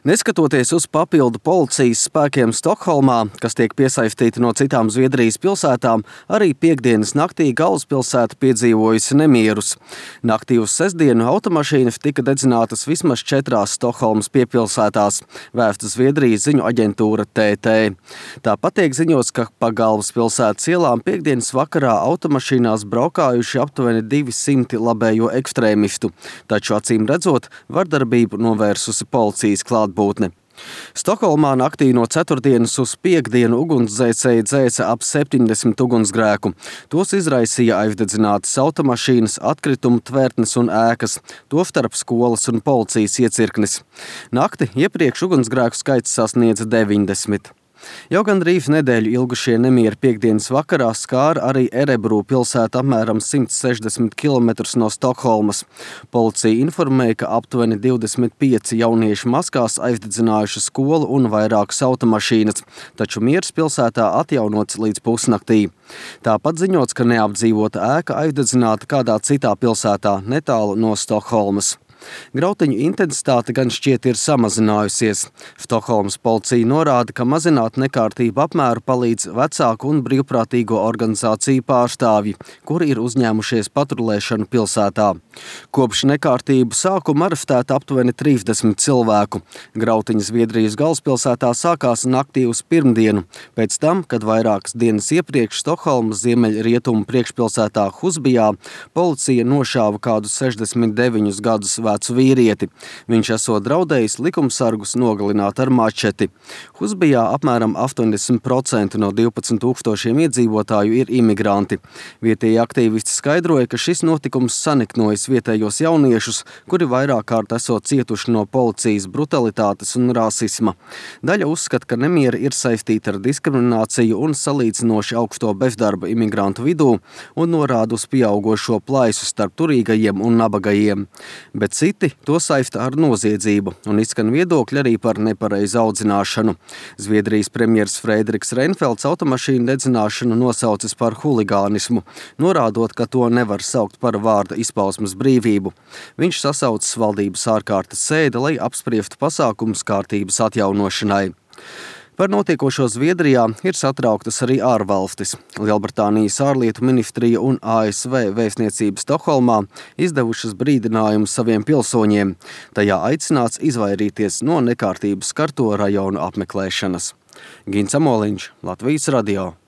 Neskatoties uz papildu policijas spēkiem Stokholmā, kas tiek piesaistīti no citām Zviedrijas pilsētām, arī piektdienas naktī galvaspilsēta piedzīvojusi nemierus. Naktī uz sestdienu automašīnas tika dedzinātas vismaz 4 Stokholmas piepilsētās, vēsta Zviedrijas ziņu aģentūra TT. Tāpat tiek ziņots, ka pa galvaspilsētas ielām piektdienas vakarā automašīnās braukājuši aptuveni 200 labējo ekstrēmistu, taču acīm redzot, vardarbību novērsusi policijas klātbūtne. Stokholmā naktī no ceturtdienas uz piektdienu ugunsdzēsēji dzēsa ap 70 ugunsgrēku. Tos izraisīja aizdedzinātas automašīnas, atkritumu tvertnes un ēkas, tostarp skolas un policijas iecirknis. Nakti iepriekš ugunsgrēku skaits sasniedza 90. Jau gandrīz nedēļu ilgušie nemieri piektdienas vakarā skāra arī Erebru pilsētu apmēram 160 km no Stokholmas. Policija informēja, ka aptuveni 25 jaunieši maskās aizdedzinājuši skolu un vairākas automašīnas, taču miers pilsētā atjaunots līdz pusnaktī. Tāpat ziņots, ka neapdzīvota ēka aizdedzināta kādā citā pilsētā netālu no Stokholmas. Grautiņu intensitāte gan šķiet ir samazinājusies. Stokholmas policija norāda, ka mazināt nekārtību apmēru palīdz vecāku un brīvprātīgo organizāciju pārstāvji, kuri ir uzņēmušies patrulēšanu pilsētā. Kopš nekārtību sākuma arestēta aptuveni 30 cilvēku. Grautiņi Zviedrijas galvaspilsētā sākās naktī uz pirmdienu, pēc tam, kad vairākas dienas iepriekš Stokholmas ziemeļrietumu priekšpilsētā Husbijā policija nošāva kādu 69 gadus vecu vīrieti. Viņš esot draudējis likumsargus nogalināt ar mačeti. Husbijā apmēram 80% no 12 000 iedzīvotāju ir imigranti. Vietējie aktīvisti skaidroja, ka šis notikums saniknojas vietējos jauniešus, kuri vairāk kārt esot cietuši no policijas brutalitātes un rasisma. Daļa uzskata, ka nemieri ir saistīti ar diskrimināciju un salīdzinoši augsto bezdarba imigrantu vidū un norāda uz pieaugošo plaisu starp turīgajiem un nabagajiem. Bet citi to saista ar noziedzību un izskan viedokļi arī par nepareizu audzināšanu. Zviedrijas premjers Frederiks Reinfelds automašīnu dedzināšanu nosaucis par huligānismu, norādot, ka to nevar saukt par vārda izpausmes brīvību. Viņš sasaucis valdības ārkārtas sēdi, lai apspriestu pasākumus kārtības atjaunošanai. Par notiekošo Zviedrijā ir satrauktas arī ārvalstis. Lielbritānijas ārlietu ministrija un ASV vēstniecība Stokholmā izdevušas brīdinājumu saviem pilsoņiem. Tajā aicināts izvairīties no nekārtības skarto rajonu apmeklēšanas. Gins Amoliņš, Latvijas radio.